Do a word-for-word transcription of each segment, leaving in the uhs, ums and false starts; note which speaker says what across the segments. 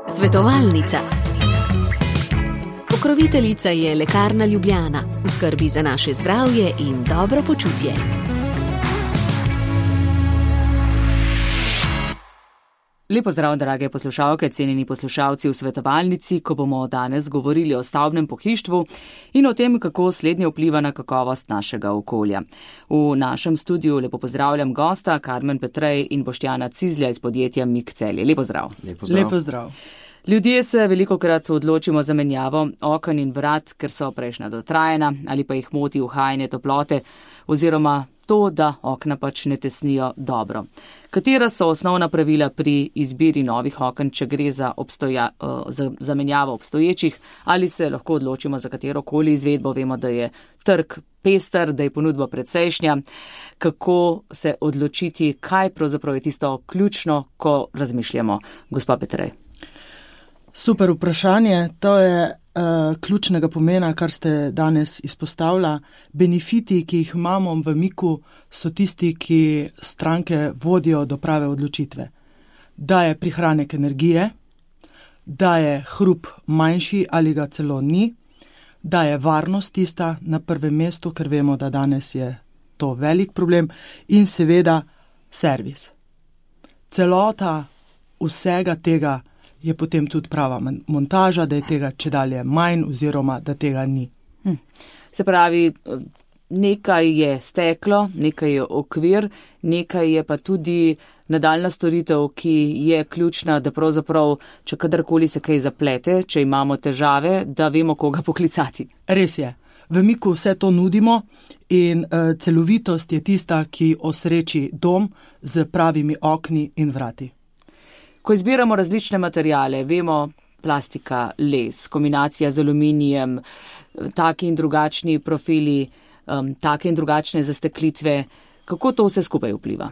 Speaker 1: Svetovalnica. Pokroviteljica je Lekarna Ljubljana, v skrbi za naše zdravje in dobro počutje.
Speaker 2: Lepo zdrav, drage poslušalke, cenjeni poslušalci v svetovalnici, ko bomo danes govorili o stavbnem pohištvu in o tem, kako slednje vpliva na kakovost našega okolja. V našem studiu lepo pozdravljam gosta Karmen Petrej in Boštjana Cizlja iz podjetja Mik Celje. Lepo zdrav.
Speaker 3: Lepo zdrav. Lepo zdrav.
Speaker 2: Ljudje se velikokrat odločimo za menjavo oken in vrat, ker so prejšnja dotrajana ali pa jih moti uhajanje toplote oziroma to, da okna pač ne tesnijo dobro. Katera so osnovna pravila pri izbiri novih oken, če gre za, obstoja, za zamenjavo obstoječih, ali se lahko odločimo za katerokoli izvedbo? Vemo, da je trg pester, da je ponudba precejšnja. Kako se odločiti, kaj pravzaprav je tisto ključno, ko razmišljamo? Gospa Petrej.
Speaker 3: Super vprašanje. To je uh, ključnega pomena, kar ste danes izpostavila. Benefiti, ki jih imamo v Miku, so tisti, ki stranke vodijo do prave odločitve. Da je prihranek energije, da je hrup manjši ali ga celo ni, da je varnost tista na prvem mestu, ker vemo, da danes je to velik problem, in seveda servis. Celota vsega tega je potem tudi prava montaža, da je tega čedalje manj oziroma da tega ni.
Speaker 2: Hm. Se pravi, nekaj je steklo, nekaj je okvir, nekaj je pa tudi nadaljna storitev, ki je ključna, da pravzaprav, če kadarkoli se kaj zaplete, če imamo težave, da vemo, koga poklicati.
Speaker 3: Res je. V Miku vse to nudimo in uh, celovitost je tista, ki osreči dom z pravimi okni in vrati.
Speaker 2: Ko izbiramo različne materijale, vemo plastika, les, kombinacija z aluminijem, taki in drugačni profili, um, take in drugačne zasteklitve, kako to vse skupaj vpliva?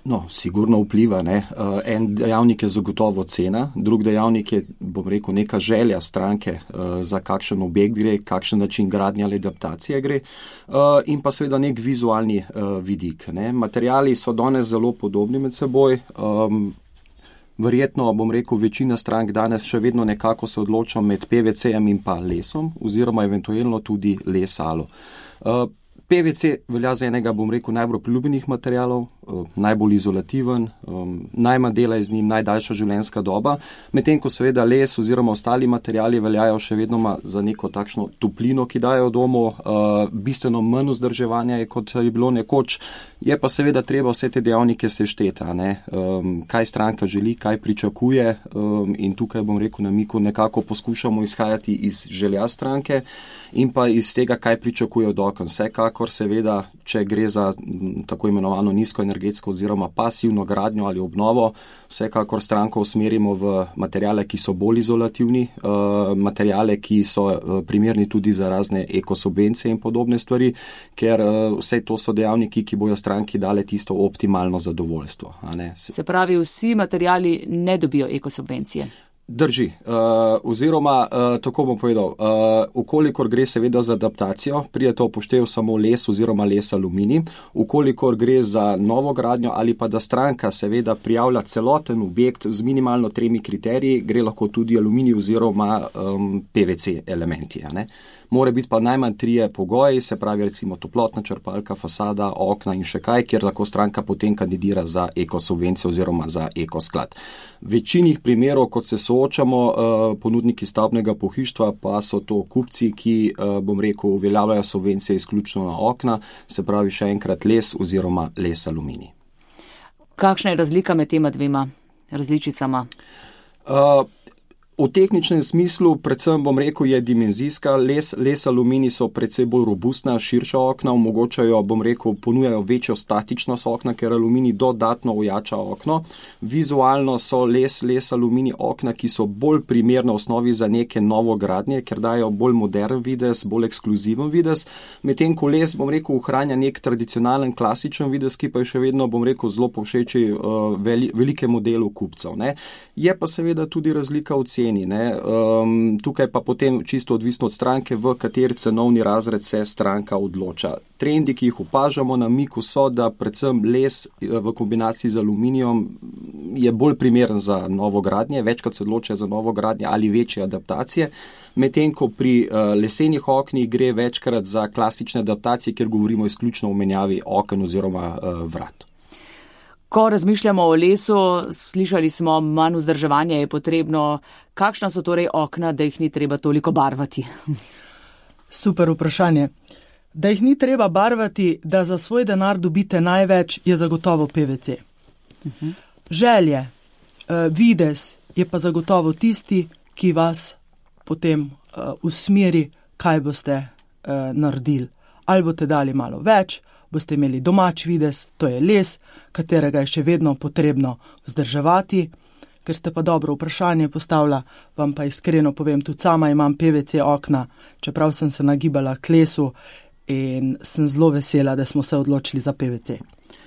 Speaker 4: No, sigurno vpliva, ne. Uh, en dejavnik je zagotovo cena, drug dejavnik je, bom rekel, neka želja stranke, uh, za kakšen objekt gre, kakšen način gradnje ali adaptacije gre, uh, in pa seveda nek vizualni uh, vidik, ne. Materijali so danes zelo podobni med seboj. Um, Verjetno, bom rekel, večina strank danes še vedno nekako se odloča med P V C-jem in pa lesom, oziroma eventualno tudi les-alo. Uh, P V C velja za enega, bom rekel, najbolj priljubljenih materialov, uh, najbolj izolativen, um, najmanj dela je z njim, najdaljša življenjska doba, medtem ko seveda les oziroma ostali materiali veljajo še vedno za neko takšno toplino, ki dajo domu, uh, bistveno manj vzdrževanja je, kot je bilo nekoč. Je pa seveda treba vse te dejavnike sešteti, um, kaj stranka želi, kaj pričakuje, um, in tukaj, bom rekel, na Miku nekako poskušamo izhajati iz želja stranke in pa iz tega, kaj pričakuje od oken. Vsekakor seveda, če gre za m, tako imenovano nizkoenergetsko oziroma pasivno gradnjo ali obnovo, vsekakor stranko usmerimo v materijale, ki so bolj izolativni, uh, materijale, ki so uh, primerni tudi za razne ekosubvencije in podobne stvari, ker uh, vse to so dejavniki, ki bojo stranki dale tisto optimalno zadovoljstvo. A ne? Se...
Speaker 2: Se pravi, vsi materijali ne dobijo ekosubvencije.
Speaker 4: Drži, uh, oziroma, uh, tako bom povedal, uh, ukolikor gre seveda za adaptacijo, prije to upoštev samo les oziroma les aluminij, ukolikor gre za novo gradnjo ali pa da stranka seveda prijavlja celoten objekt z minimalno tremi kriteriji, gre lahko tudi aluminij oziroma um, P V C elementi, a ne. Mora biti pa najmanj trije pogoji, se pravi recimo toplotna črpalka, fasada, okna in še kaj, kjer lahko stranka potem kandidira za ekosubvencijo oziroma za ekosklad. V večini primerov, kot se soočamo, ponudniki stavbnega pohištva pa so to kupci, ki, bom rekel, uveljavljajo subvencije izključno na okna, se pravi še enkrat les oziroma les aluminij.
Speaker 2: Kakšna je razlika med tema dvema različicama?
Speaker 4: Uh, V tehničnem smislu, predvsem bom rekel, je dimenzijska. Les, les aluminij so predvsej bolj robustna, širša okna, omogočajo, bom rekel, ponujajo večjo statičnost okna, ker aluminij dodatno ojača okno. Vizualno so les, les aluminij okna, ki so bolj primerne osnovi za neke novogradnje, ker dajo bolj modern videz, bolj ekskluziven videz. Medtem ko les, bom rekel, ohranja nek tradicionalen, klasičen videz, ki pa je še vedno, bom rekel, zelo povšeči uh, veli, velikemu delu kupcev, ne. Je pa seveda tudi razlika v ceni. Um, tukaj pa potem čisto odvisno od stranke, v kateri cenovni razred se stranka odloča. Trendi, ki jih opažamo na Miku, so, da predvsem les v kombinaciji z aluminijom je bolj primeren za novogradnje, večkrat se odločajo za novogradnje ali večje adaptacije, medtem ko pri uh, lesenih oknih gre večkrat za klasične adaptacije, kjer govorimo izključno o menjavi oken oziroma uh, vrat.
Speaker 2: Ko razmišljamo o lesu, slišali smo, manj vzdrževanja je potrebno. Kakšna so torej okna, da jih ni treba toliko barvati?
Speaker 3: Super vprašanje. Da jih ni treba barvati, da za svoj denar dobite največ, je zagotovo P V C. Uh-huh. Želje, uh, videz je pa zagotovo tisti, ki vas potem uh, usmeri, kaj boste uh, naredili. Ali boste dali malo več, boste imeli domač videz, to je les, katerega je še vedno potrebno vzdrževati. Ker ste pa dobro vprašanje postavila, vam pa iskreno povem, tudi sama imam P V C okna, čeprav sem se nagibala k lesu in sem zelo vesela, da smo se odločili za P V C.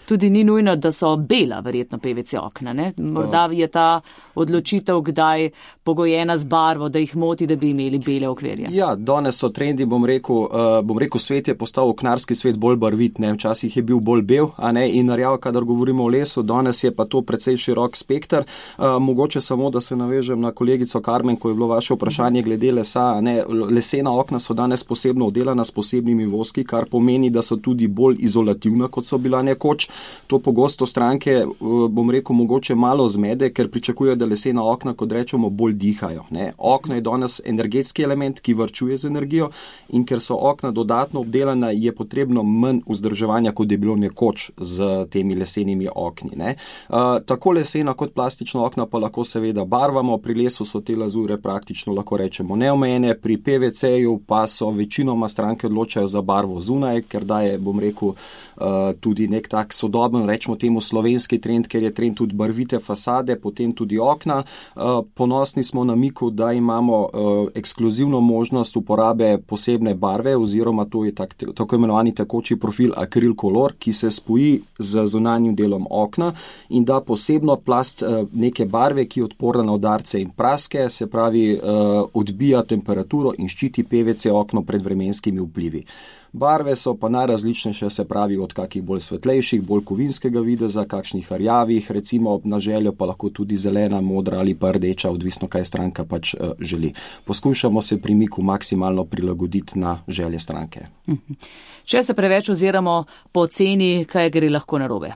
Speaker 2: Tudi ni nujno, da so bela verjetno P V C okna, ne? Morda je ta odločitev kdaj pogojena z barvo, da jih moti, da bi imeli bele okvirje.
Speaker 4: Ja, danes so trendi, bom rekel, uh, bom rekel, svet je postal oknarski svet bolj barvit, ne? Včasih je bil bolj bel, a ne, in rjav, kadar govorimo o lesu, danes je pa to precej širok spekter. Uh, mogoče samo, da se navežem na kolegico Karmen, ko je bilo vaše vprašanje glede lesa, a ne, lesena okna so danes posebno oddelana s posebnimi voski, kar pomeni, da so tudi bolj izolativna, kot so bila nekoč. To pogosto stranke, bom rekel, mogoče malo zmede, ker pričakujejo, da lesena okna, kot rečemo, bolj dihajo. Ne? Okno je danes energetski element, ki varčuje z energijo, in ker so okna dodatno obdelana, je potrebno manj vzdrževanja, kot je bilo nekoč z temi lesenimi okni. Ne? Uh, tako lesena kot plastična okna pa lahko seveda barvamo, pri lesu so te lazure praktično, lahko rečemo, neomejene, pri P V C-ju pa so večinoma stranke odločajo za barvo zunaj, ker daje, bom rekel, uh, tudi nek tak sodoben, rečemo temu slovenski trend, ker je trend tudi barvite fasade, potem tudi okna. Ponosni smo na Miku, da imamo ekskluzivno možnost uporabe posebne barve, oziroma to je tak, tako imenovani tekoči profil akril kolor, ki se spoji z zunanjim delom okna in da posebno plast neke barve, ki je odporna na udarce in praske, se pravi odbija temperaturo in ščiti P V C okno pred vremenskimi vplivi. Barve so pa najrazličnejše, se pravi od kakih bolj svetlejših, bolj kovinskega videza, kakšnih rjavih, recimo na željo pa lahko tudi zelena, modra ali pa rdeča, odvisno kaj stranka pač uh, želi. Poskušamo se pri Miku maksimalno prilagoditi na želje stranke.
Speaker 2: Če se preveč oziramo po ceni, kaj gre lahko narobe?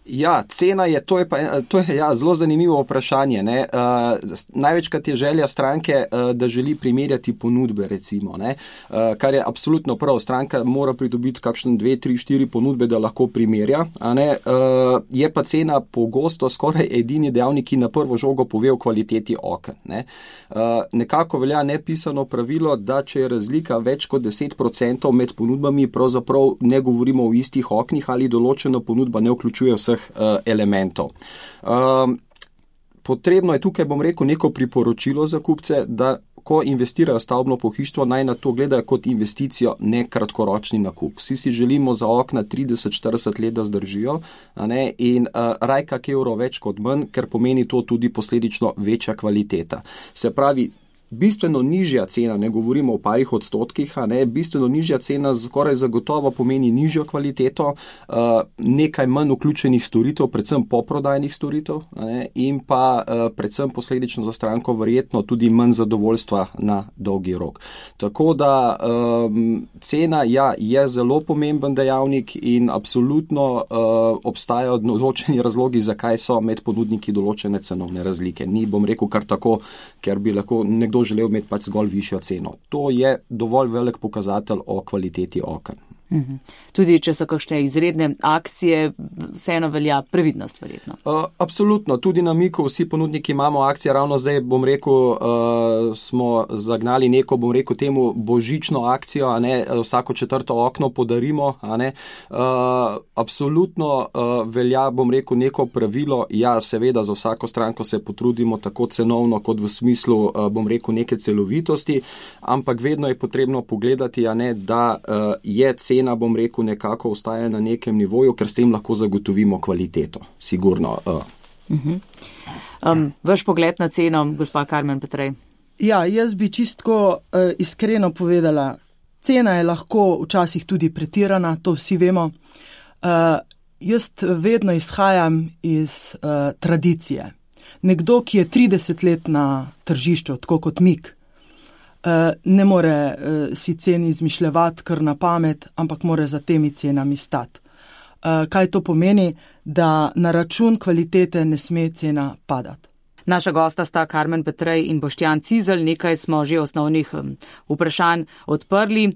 Speaker 4: Ja, cena je, to je pa to je, ja, zelo zanimivo vprašanje. Ne? Uh, največkrat je želja stranke, uh, da želi primerjati ponudbe, recimo, ne? Uh, kar je absolutno prav. Stranka mora pridobiti kakšne dve, tri, štiri ponudbe, da lahko primerja. A ne? Uh, je pa cena pogosto skoraj edini dejavnik, ki na prvo žogo pove o kvaliteti oken. Ne? Uh, nekako velja nepisano pravilo, da če je razlika več kot deset procentov med ponudbami, pravzaprav ne govorimo o istih oknih ali določena ponudba ne vključuje vseh elementov. Um, potrebno je tukaj, bom rekel, neko priporočilo za kupce, da ko investirajo stavbno pohištvo, naj na to gledajo kot investicijo, ne kratkoročni nakup. Vsi si želimo za okna trideset do štirideset let, da zdržijo, a ne, in uh, raj kak evro več kot manj, ker pomeni to tudi posledično večja kvaliteta. Se pravi, bistveno nižja cena, ne govorimo o parih odstotkih, a ne, bistveno nižja cena skoraj zagotovo pomeni nižjo kvaliteto, uh, nekaj manj vključenih storitev, predvsem poprodajnih storitev, a ne, in pa uh, predvsem posledično za stranko verjetno tudi manj zadovoljstva na dolgi rok. Tako da um, cena, ja, je zelo pomemben dejavnik in absolutno uh, obstajajo določeni razlogi, zakaj so med ponudniki določene cenovne razlike. Ni, bom rekel, kar tako, ker bi lahko nekdo želel imeti pač zgolj višjo ceno. To je dovolj velik pokazatelj o kvaliteti oken.
Speaker 2: Mhm. Tudi če so kakšne izredne akcije, vseeno velja previdnost verjetno.
Speaker 4: Uh, absolutno, tudi na Miku vsi ponudniki imamo akcije, ravno zdaj bom rekel, uh, smo zagnali neko, bom rekel temu božično akcijo, a ne, vsako četrto okno podarimo, a ne. Uh, absolutno uh, velja, bom rekel, neko pravilo, ja, seveda za vsako stranko se potrudimo tako cenovno kot v smislu, uh, bom rekel, neke celovitosti, ampak vedno je potrebno pogledati, a ne, da uh, je cena, bom rekel, nekako ostaja na nekem nivoju, ker s tem lahko zagotovimo kvaliteto. Sigurno. Uh.
Speaker 2: Uh-huh. Um, vaš pogled na ceno, gospa Karmen Petrej?
Speaker 3: Ja, jaz bi čistko uh, iskreno povedala, cena je lahko včasih tudi pretirana, to vsi vemo. Uh, jaz vedno izhajam iz uh, tradicije. Nekdo, ki je trideset let na tržišču, tako kot Mik, uh, ne more uh, si ceni izmišljevati kar na pamet, ampak mora za temi cenami stati. Uh, kaj to pomeni? Da na račun kvalitete ne sme cena padati.
Speaker 2: Naša gosta sta Karmen Petrej in Boštjan Cizelj, nekaj smo že osnovnih um, vprašanj odprli.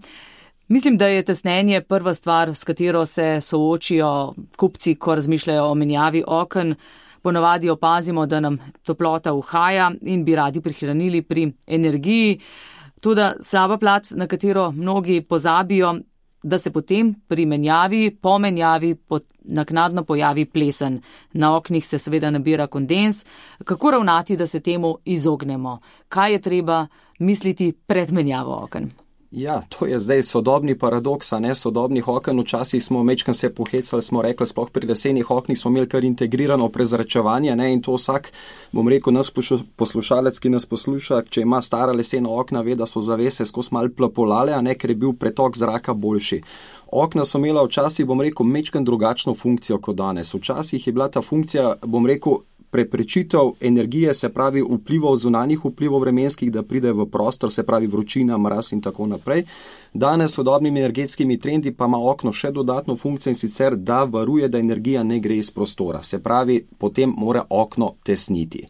Speaker 2: Mislim, da je tesnenje prva stvar, s katero se soočijo kupci, ko razmišljajo o menjavi oken. Ponavadi opazimo, da nam toplota uhaja in bi radi prihranili pri energiji. Toda slaba plat, na katero mnogi pozabijo, da se potem pri menjavi, po menjavi naknadno pojavi plesen. Na oknih se seveda nabira kondens. Kako ravnati, da se temu izognemo? Kaj je treba misliti pred menjavo oken?
Speaker 4: Ja, to je zdaj sodobni paradoks, a ne sodobnih oken. Včasih smo mečkam se pohecali, smo rekli, sploh pri lesenih oknih smo imeli kar integrirano prezračevanje, ne, in to vsak, bom rekel, nas poslušalec, ki nas posluša, če ima stara lesena okna, ve, da so zavese skozi malo plapolale, a ne, ker je bil pretok zraka boljši. Okna so imela včasih, bom rekel, mečkam drugačno funkcijo kot danes. Včasih je bila ta funkcija, bom rekel, preprečitev energije, se pravi vplivov, zunanjih vplivov vremenskih, da pride v prostor, se pravi vročina, mraz in tako naprej. Danes s sodobnimi energetskimi trendi pa ima okno še dodatno funkcijo, in sicer, da varuje, da energija ne gre iz prostora. Se pravi, potem mora okno tesniti.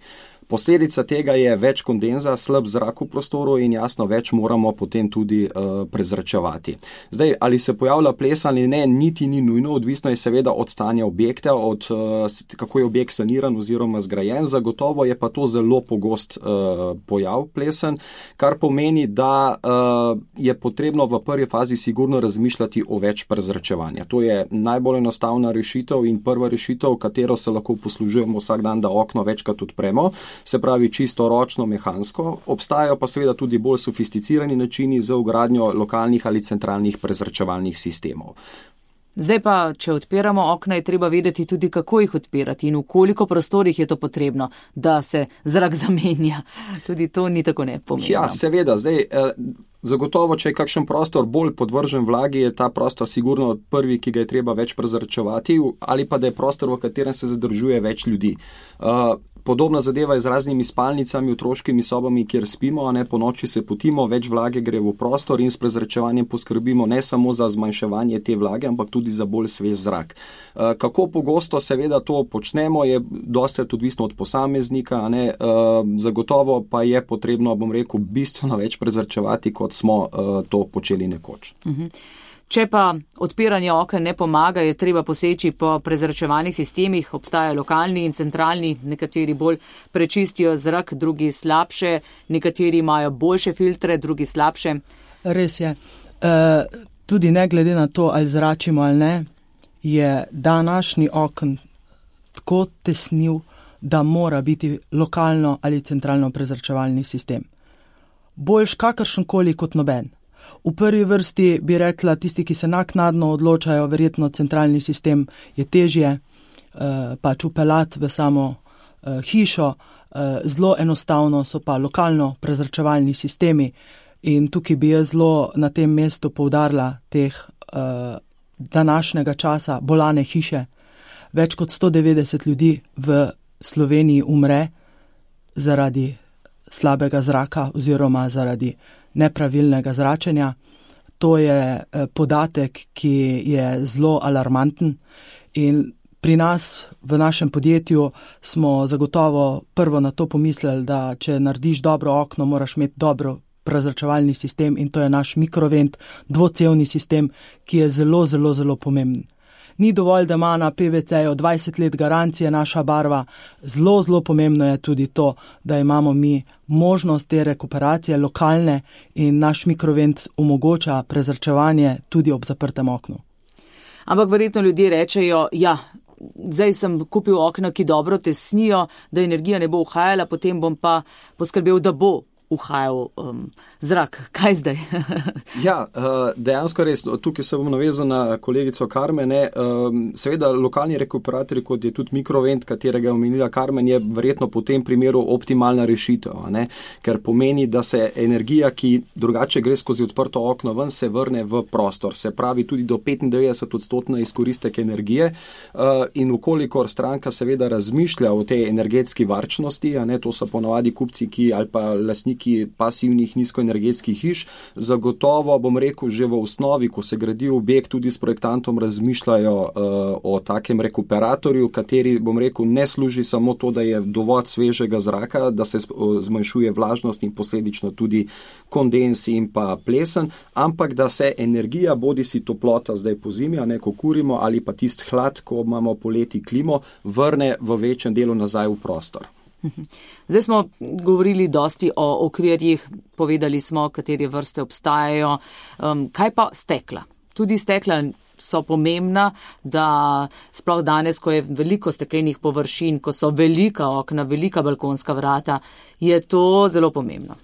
Speaker 4: Posledica tega je več kondenza, slab zrak v prostoru in jasno več moramo potem tudi uh, prezračevati. Zdaj, ali se pojavlja ples ali ne, niti ni nujno, odvisno je seveda od stanja objekta, od uh, kako je objekt saniran oziroma zgrajen. Zagotovo je pa to zelo pogost uh, pojav plesen, kar pomeni, da uh, je potrebno v prvi fazi sigurno razmišljati o več prezračevanja. To je najbolj enostavna rešitev in prva rešitev, katero se lahko poslužujemo vsak dan, da okno večkrat odpremo. Se pravi čisto ročno, mehansko. Obstajajo pa seveda tudi bolj sofisticirani načini za vgradnjo lokalnih ali centralnih prezračevalnih sistemov.
Speaker 2: Zdaj pa, če odpiramo okna, je treba vedeti tudi, kako jih odpirati in v koliko prostorih je to potrebno, da se zrak zamenja. Tudi to ni tako nepomembno.
Speaker 4: Ja, seveda. Zdaj, eh, zagotovo, če je kakšen prostor bolj podvržen vlagi, je ta prostor sigurno prvi, ki ga je treba več prezračevati, ali pa da je prostor, v katerem se zadržuje več ljudi. Uh, Podobna zadeva je z raznimi spalnicami, otroškimi sobami, kjer spimo, a ne po noči se potimo, več vlage gre v prostor in s prezračevanjem poskrbimo ne samo za zmanjševanje te vlage, ampak tudi za bolj svež zrak. Kako pogosto seveda to počnemo, je dosti odvisno od posameznika, a ne, zagotovo pa je potrebno, bom rekel, bistveno več prezračevati, kot smo to počeli nekoč.
Speaker 2: Mhm. Če pa odpiranje oken ne pomaga, je treba poseči po prezračevalnih sistemih. Obstajajo lokalni in centralni, nekateri bolj prečistijo zrak, drugi slabše, nekateri imajo boljše filtre, drugi slabše.
Speaker 3: Res je. E, tudi ne glede na to, ali zračimo ali ne, je današnji oken tako tesnil, da mora biti lokalno ali centralno prezračevalni sistem. Boljš kakršenkoli kot noben. V prvi vrsti bi rekla, tisti, ki se naknadno odločajo, verjetno centralni sistem je težje, eh, pač upeljati v samo eh, hišo, eh, zelo enostavno so pa lokalno prezračevalni sistemi in tukaj bi jaz zelo na tem mestu poudarila teh eh, današnjega časa bolane hiše. Več kot sto devetdeset ljudi v Sloveniji umre zaradi slabega zraka oziroma zaradi nepravilnega zračenja. To je podatek, ki je zelo alarmanten in pri nas v našem podjetju smo zagotovo prvo na to pomislili, da če narediš dobro okno, moraš imeti dobro prezračevalni sistem in to je naš mikrovent, dvocevni sistem, ki je zelo, zelo, zelo pomemben. Ni dovolj, da ima na P V C-ju dvajset let garancije naša barva. Zelo, zelo pomembno je tudi to, da imamo mi možnost te rekuperacije lokalne in naš mikrovent omogoča prezračevanje tudi ob zaprtem oknu.
Speaker 2: Ampak verjetno ljudje rečejo, ja, zdaj sem kupil okna, ki dobro tesnijo, da energija ne bo uhajala, potem bom pa poskrbel, da bo uhajal um, zrak. Kaj zdaj?
Speaker 4: Ja, dejansko res, tukaj se bom navezal na kolegico Karmen. Seveda lokalni rekuperatorji, kot je tudi mikrovent, katerega je omenila Karmen, je verjetno po tem primeru optimalna rešitev, ne? Ker pomeni, da se energija, ki drugače gre skozi odprto okno ven, se vrne v prostor. Se pravi tudi do petindevetdeset odstotna izkoristek energije in ukolikor stranka seveda razmišlja o tej energetski varčnosti, a ne, to so ponavadi kupci, ki ali pa lastniki pasivnih nizkoenergetskih hiš, zagotovo, bom rekel, že v osnovi, ko se gradi objekt, tudi s projektantom razmišljajo uh, o takem rekuperatorju, kateri, bom rekel, ne služi samo to, da je dovolj svežega zraka, da se zmanjšuje vlažnost in posledično tudi kondens in pa plesen, ampak da se energija, bodi si toplota zdaj po zimi, a ne, ko kurimo, ali pa tist hlad, ko imamo poleti klimo, vrne v večjem delu nazaj v prostor.
Speaker 2: Zdaj smo govorili dosti o okvirjih, povedali smo, katere vrste obstajajo. Um, kaj pa stekla? Tudi stekla so pomembna, da sploh danes, ko je veliko steklenih površin, ko so velika okna, velika balkonska vrata, je to zelo pomembno.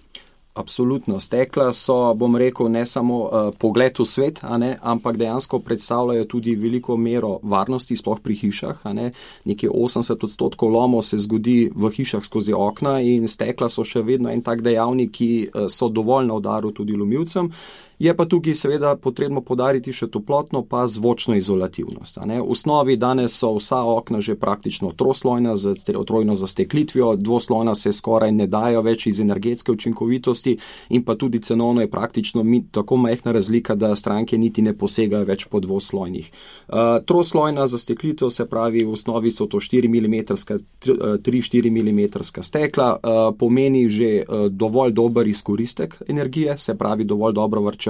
Speaker 4: Absolutno. Stekla so, bom rekel, ne samo uh, pogled v svet, a ne, ampak dejansko predstavljajo tudi veliko mero varnosti, sploh pri hišah. A ne. Nekje osemdeset odstotkov lomov se zgodi v hišah skozi okna in stekla so še vedno en tak dejavnik, ki uh, so dovolj na udaru tudi lomilcem. Je pa tukaj seveda potrebno podariti še toplotno pa zvočno izolativnost. A ne. V osnovi danes so vsa okna že praktično troslojna, z trojno zasteklitvijo, dvoslojna se skoraj ne dajo več iz energetske učinkovitosti in pa tudi cenovno je praktično tako majhna razlika, da stranke niti ne posegajo več po dvoslojnih. Uh, troslojna zasteklitev, se pravi, v osnovi so to štiri milimetre, tri štiri milimetre stekla, uh, pomeni že uh, dovolj dober izkoristek energije, se pravi dovolj dobro vrčevanje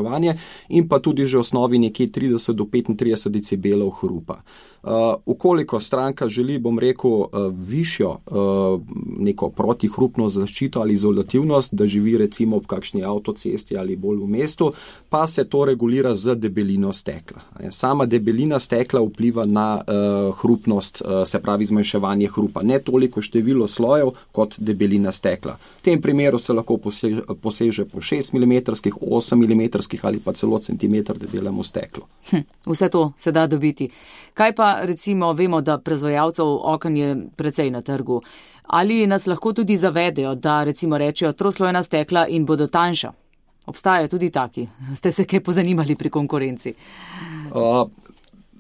Speaker 4: in pa tudi že v osnovi nekje trideset do petintrideset decibelov hrupa. Uh, ukoliko stranka želi, bom rekel, uh, višjo uh, neko protihrupno zaščito ali izolativnost, da živi recimo ob kakšni avtocesti ali bolj v mestu, pa se to regulira z debelino stekla. Sama debelina stekla vpliva na uh, hrupnost, uh, se pravi zmanjševanje hrupa. Ne toliko število slojev kot debelina stekla. V tem primeru se lahko poseže, poseže po šest milimetrskih, osem milimetrskih ali pa celo centimeter debelemu steklu.
Speaker 2: Hm, vse to se da dobiti. Kaj pa recimo vemo, da proizvajalcev oken je precej na trgu. Ali nas lahko tudi zavedejo, da recimo rečejo troslojna stekla in bodo tanjša? Obstajajo tudi taki. Ste se kaj pozanimali pri konkurenci?
Speaker 4: Uh,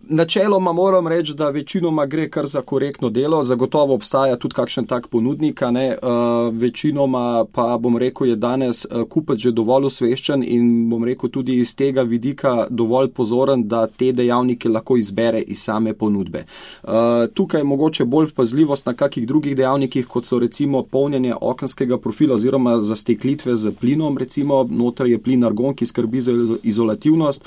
Speaker 4: načeloma moram reči, da večinoma gre kar za korektno delo. Zagotovo obstaja tudi kakšen tak ponudnik, a ne. Uh, večinoma pa, bom rekel, je danes uh, kupec že dovolj osveščen in, bom rekel, tudi iz tega vidika dovolj pozoren, da te dejavnike lahko izbere iz same ponudbe. Uh, tukaj je mogoče bolj pazljivost na kakih drugih dejavnikih, kot so recimo polnjenje okenskega profila oziroma zasteklitve z plinom, recimo noter je plin argon, ki skrbi za izolativnost.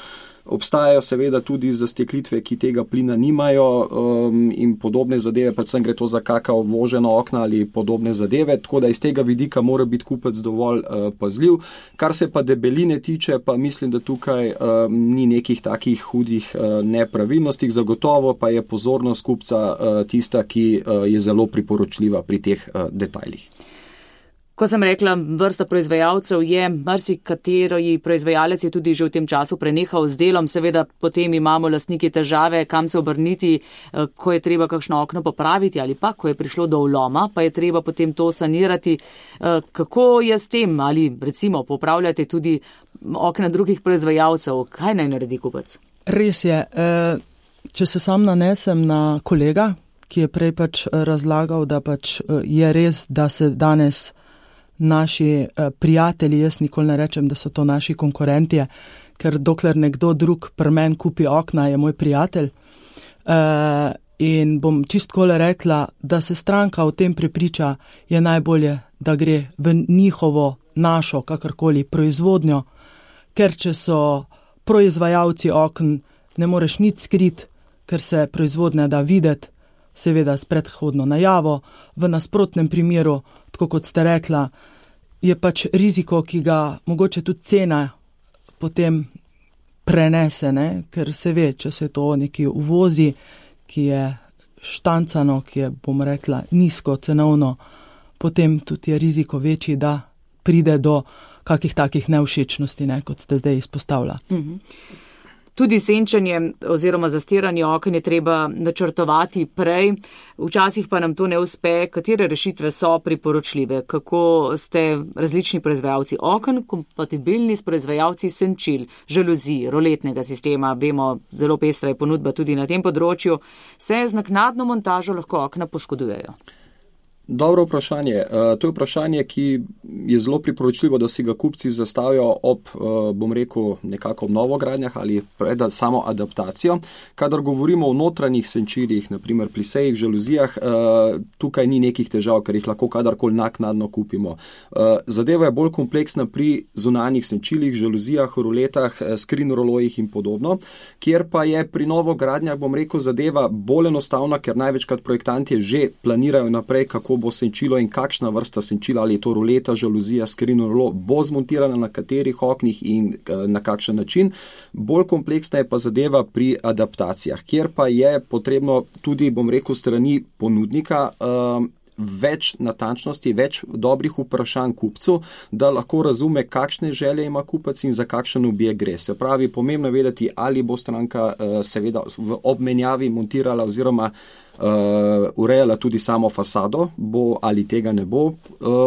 Speaker 4: Obstajajo seveda tudi zasteklitve, ki tega plina nimajo um, in podobne zadeve, predvsem gre to za kakao voženo okna ali podobne zadeve, tako da iz tega vidika mora biti kupec dovolj uh, pazljiv. Kar se pa debeline tiče, pa mislim, da tukaj um, ni nekih takih hudih uh, nepravilnosti, zagotovo pa je pozornost kupca uh, tista, ki uh, je zelo priporočljiva pri teh uh, detajlih.
Speaker 2: Ko sem rekla, vrsta proizvajalcev je, marsikateri proizvajalec je tudi že v tem času prenehal z delom, seveda potem imamo lastniki težave, kam se obrniti, ko je treba kakšno okno popraviti ali pa, ko je prišlo do vloma, pa je treba potem to sanirati. Kako je s tem? Ali recimo popravljate tudi okna drugih proizvajalcev? Kaj naj naredi kupec?
Speaker 3: Res je. Če se sam nanesem na kolega, ki je prej pač razlagal, da pač je res, da se danes naši prijatelji, jaz nikoli ne rečem, da so to naši konkurentje, ker dokler nekdo drug pri meni kupi okna, je moj prijatelj. Uh, in bom čistkole rekla, da se stranka v tem prepriča, je najbolje, da gre v njihovo, našo, kakorkoli, proizvodnjo, ker če so proizvajalci okn, ne moreš nič skrit, ker se proizvodnja da videti, seveda s predhodno najavo. V nasprotnem primeru, tako kot ste rekla, je pač riziko, ki ga mogoče tudi cena potem prenese, ne? Ker se ve, če se to neki uvozi, ki je štancano, ki je, bom rekla, nizko cenovno, potem tudi je riziko večji, da pride do kakih takih nevšečnosti, ne, kot ste zdaj izpostavila.
Speaker 2: Mhm. Tudi senčenje oziroma zastiranje oken je treba načrtovati prej, včasih pa nam to ne uspe. Katere rešitve so priporočljive? Kako ste različni proizvajalci oken kompatibilni s proizvajalci senčil, žaluzij, roletnega sistema? Vemo, zelo pestra je ponudba tudi na tem področju. Se z naknadno montažo lahko okna poškodujejo?
Speaker 4: Dobro vprašanje. To je vprašanje, ki je zelo priporočljivo, da si ga kupci zastavijo ob, bom rekel, nekako ob novogradnjah ali pred samo adaptacijo. Kadar govorimo o notranjih senčilih, naprimer pri sejih, žaluzijah, tukaj ni nekih težav, ker jih lahko kadarkoli naknadno kupimo. Zadeva je bolj kompleksna pri zunanjih senčilih, žaluzijah, roletah, screen rolojih in podobno, kjer pa je pri novogradnjah, bom rekel, zadeva bolj enostavna, ker največkrat projektanti že planirajo naprej, kako bo senčilo in kakšna vrsta senčila, ali je to roleta, žaluzija, screen rolo, bo zmontirana na katerih oknih in na kakšen način. Bolj kompleksna je pa zadeva pri adaptacijah, kjer pa je potrebno tudi, bom rekel, strani ponudnika um, več natančnosti, več dobrih vprašanj kupcu, da lahko razume, kakšne želje ima kupec in za kakšen objekt gre. Se pravi, pomembno je vedeti, ali bo stranka uh, seveda v obmenjavi montirala oziroma Uh, urejala tudi samo fasado, bo ali tega ne bo. Uh,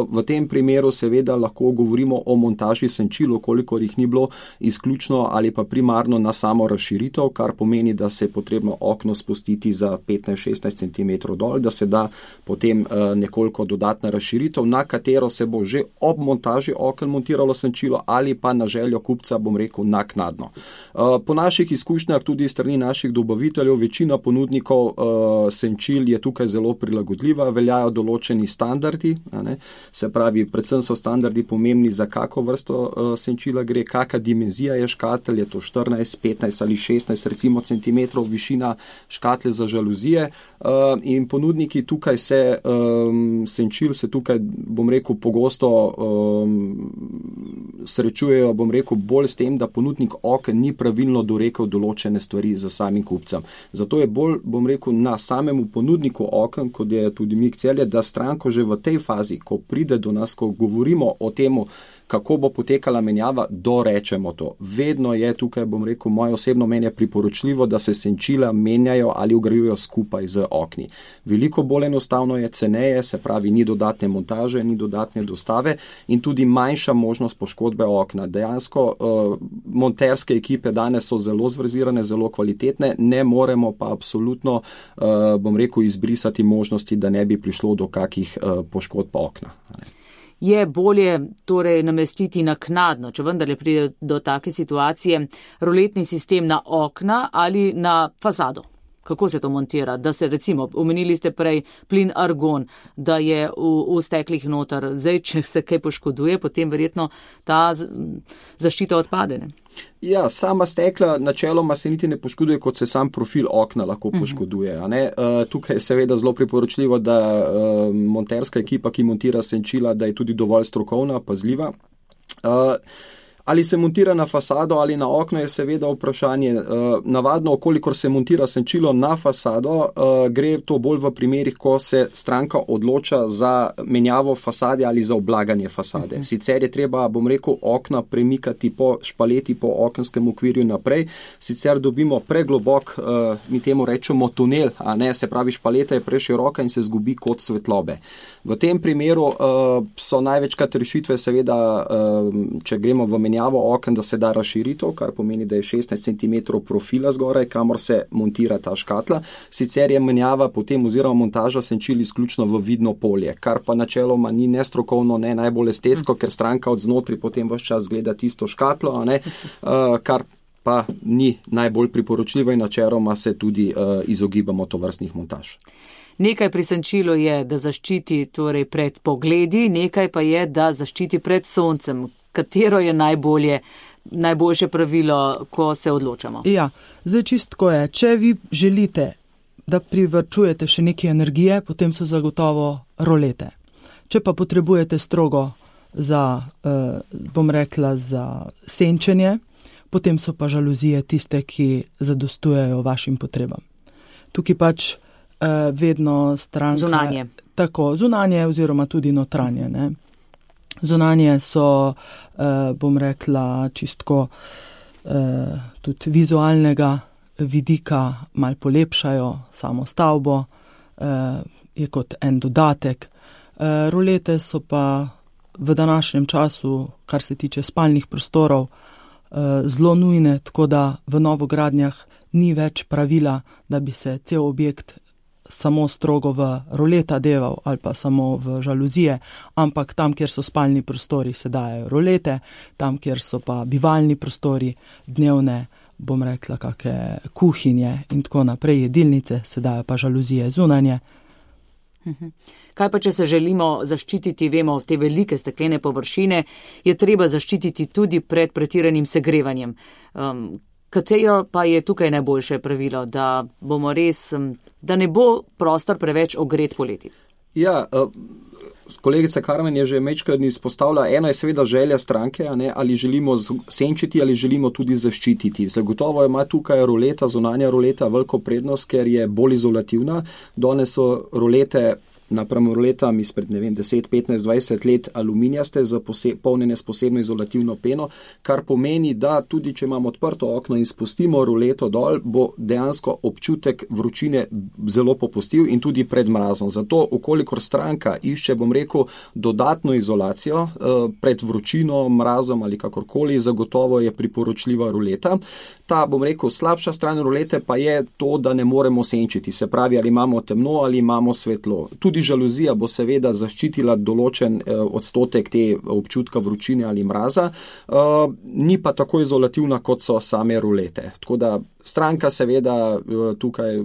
Speaker 4: v tem primeru seveda lahko govorimo o montaži senčil, kolikor jih ni bilo izključno ali pa primarno na samo razširitev, kar pomeni, da se je potrebno okno spustiti za petnajst šestnajst centimetrov dol, da se da potem uh, nekoliko dodatna razširitev, na katero se bo že ob montaži oken montiralo senčilo ali pa na željo kupca, bom rekel, naknadno. Uh, po naših izkušnjah, tudi strani naših dobaviteljev, večina ponudnikov uh, senčil je tukaj zelo prilagodljiva, veljajo določeni standardi, a ne? Se pravi, predvsem so standardi pomembni, za kako vrsto uh, senčila gre, kakšna dimenzija je škatel, je to štirinajst, petnajst ali šestnajst recimo centimetrov višina škatle za žaluzije, uh, in ponudniki tukaj se, um, senčil se tukaj, bom rekel, pogosto um, srečujejo, bom rekel, bolj s tem, da ponudnik oken ni pravilno dorekel določene stvari za samim kupcem. Zato je bolj, bom rekel, na samem v ponudniku oken, kot je tudi Mik Celje, da stranko že v tej fazi, ko pride do nas, ko govorimo o temu, kako bo potekala menjava, dorečemo to. Vedno je tukaj, bom rekel, moje osebno mnenje priporočljivo, da se senčila menjajo ali vgrajujejo skupaj z okni. Veliko bolj enostavno je, ceneje, se pravi, ni dodatne montaže, ni dodatne dostave in tudi manjša možnost poškodbe okna. Dejansko uh, monterske ekipe danes so zelo zverzirane, zelo kvalitetne, ne moremo pa absolutno, uh, bom rekel, izbrisati možnosti, da ne bi prišlo do kakih uh, poškodb okna.
Speaker 2: Je bolje torej namestiti naknadno, če vendarle pride do take situacije, roletni sistem na okna ali na fasado? Kako se to montira? Da se recimo, omenili ste prej plin argon, da je v, v steklih noter. Zdaj, če se kaj poškoduje, potem verjetno ta zaščita odpade, ne?
Speaker 4: Ja, sama stekla načeloma se niti ne poškoduje, kot se sam profil okna lahko poškoduje. A ne? Uh, tukaj je seveda zelo priporočljivo, da uh, monterska ekipa, ki montira senčila, da je tudi dovolj strokovna, pazljiva. Uh, Ali se montira na fasado ali na okno, je seveda vprašanje. Navadno, okolikor se montira senčilo na fasado, gre to bolj v primerih, ko se stranka odloča za menjavo fasade ali za oblaganje fasade. Sicer je treba, bom rekel, okna premikati po špaleti, po okenskem okvirju naprej, sicer dobimo preglobok, mi temu rečemo tunel, a ne, se pravi, špaleta je preširoka in se zgubi kot svetlobe. V tem primeru so največkrat rešitve seveda, če gremo v menjavo oken, da se da razširitev, kar pomeni, da je šestnajst centimetrov profila zgoraj, kamor se montira ta škatla. Sicer je menjava potem oziroma montaža senčil izključno v vidno polje, kar pa načeloma ni ne strokovno, ne najbolj estetsko, ker stranka od znotri potem ves čas gleda tisto škatlo, a ne, kar pa ni najbolj priporočljivo in načeloma se tudi izogibamo tovrstnih montaž.
Speaker 2: Nekaj pri senčilu je, da zaščiti torej pred pogledi, nekaj pa je, da zaščiti pred soncem. Katero je najbolje, najboljše pravilo, ko se odločamo?
Speaker 3: Ja, zdaj čistko je, če vi želite, da privrčujete še nekaj energije, potem so zagotovo rolete. Če pa potrebujete strogo za, eh, bom rekla, za senčenje, potem so pa žaluzije tiste, ki zadostujejo vašim potrebam. Tukaj pač vedno stranka.
Speaker 2: Zunanje.
Speaker 3: Tako, zunanje oziroma tudi notranje. Ne? Zunanje so, eh, bom rekla, čistko eh, tudi vizualnega vidika mal polepšajo samo stavbo, eh, je kot en dodatek. Eh, rolete so pa v današnjem času, kar se tiče spalnih prostorov, eh, zelo nujne, tako da v novogradnjah ni več pravila, da bi se cel objekt samo strogo v roleta deval ali pa samo v žaluzije, ampak tam, kjer so spalni prostori, se dajo rolete, tam, kjer so pa bivalni prostori, dnevne, bom rekla, kakšne kuhinje in tako naprej, jedilnice, se dajo pa žaluzije zunanje.
Speaker 2: Kaj pa, če se želimo zaščititi, vemo, te velike steklene površine, je treba zaščititi tudi pred pretiranim segrevanjem. Um, Katero pa je tukaj najboljše pravilo, da bomo res, da ne bo prostor preveč ogret poleti?
Speaker 4: Ja, kolegica Karmen je že večkrat izpostavila, eno je seveda želja stranke, a ne, ali želimo senčiti ali želimo tudi zaščititi. Zagotovo ima tukaj roleta, zunanja roleta veliko prednost, ker je bolj izolativna. Danes so rolete napram roletam izpred, ne vem, deset, petnajst, dvajset let aluminijaste, zapolnjene s posebno izolativno peno, kar pomeni, da tudi če imamo odprto okno in spustimo roleto dol, bo dejansko občutek vročine zelo popustil in tudi pred mrazom. Zato, ukolikor stranka išče, bom rekel, dodatno izolacijo pred vročino, mrazom ali kakorkoli, zagotovo je priporočljiva roleta. Ta, bom rekel, slabša stran rolete pa je to, da ne moremo senčiti, se pravi, ali imamo temno ali imamo svetlo. Tudi žaluzija bo seveda zaščitila določen eh, odstotek te občutka vročine ali mraza, uh, ni pa tako izolativna, kot so same rolete. Tako da stranka seveda tukaj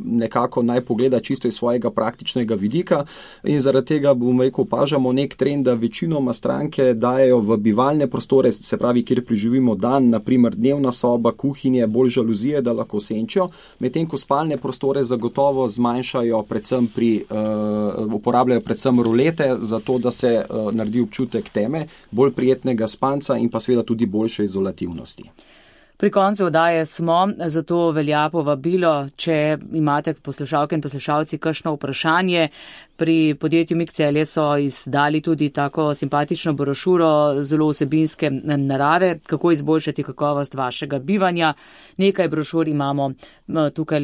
Speaker 4: nekako naj pogleda čisto iz svojega praktičnega vidika in zaradi tega, bom rekel, opažamo nek trend, da večinoma stranke dajejo v bivalne prostore, se pravi, kjer preživimo dan, naprimer dnevna soba, kuhinje, bolj žaluzije, da lahko senčijo, medtem ko spalne prostore zagotovo zmanjšajo, predvsem pri, uh, uporabljajo predvsem rolete, zato da se uh, naredi občutek teme, bolj prijetnega spanca in pa seveda tudi boljše izolativnosti.
Speaker 2: Pri koncu oddaje smo, zato velja povabilo, če imate poslušalke in poslušalci kakšno vprašanje. Pri podjetju Mik Celje so izdali tudi tako simpatično brošuro, zelo vsebinske narave, kako izboljšati kakovost vašega bivanja. Nekaj brošur imamo tukaj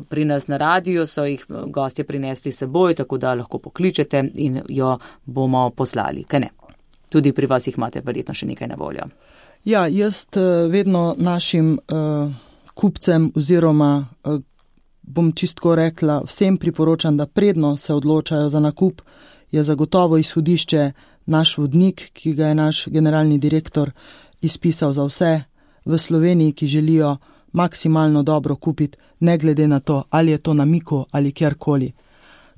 Speaker 2: pri nas na radiju, so jih gostje prinesli s seboj, tako da lahko pokličete in jo bomo poslali. Kaj ne? Tudi pri vas jih imate verjetno še nekaj na voljo.
Speaker 3: Ja, jaz vedno našim uh, kupcem oziroma, uh, bom čistko rekla, vsem priporočam, da predno se odločajo za nakup, je zagotovo izhodišče naš vodnik, ki ga je naš generalni direktor izpisal za vse v Sloveniji, ki želijo maksimalno dobro kupiti, ne glede na to, ali je to na Miku ali kjerkoli.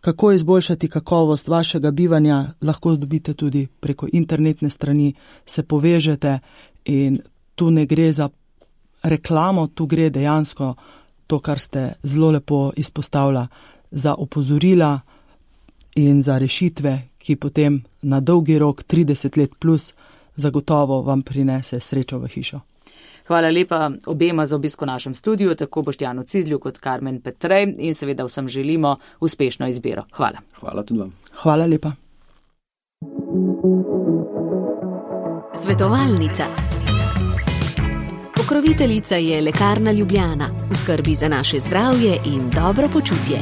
Speaker 3: Kako izboljšati kakovost vašega bivanja, lahko dobite tudi preko internetne strani, se povežete. In tu ne gre za reklamo, tu gre dejansko to, kar ste zelo lepo izpostavila, za opozorila in za rešitve, ki potem na dolgi rok, trideset let plus, zagotovo vam prinese srečo v hišo.
Speaker 2: Hvala lepa obema za obisko v našem studiu, tako Boštjanu Cizlju kot Karmen Petrej, in seveda vsem želimo uspešno izbiro. Hvala.
Speaker 4: Hvala tudi vam.
Speaker 3: Hvala lepa.
Speaker 1: Svetovalnica. Pokroviteljica je Lekarna Ljubljana, v skrbi za naše zdravje in dobro počutje.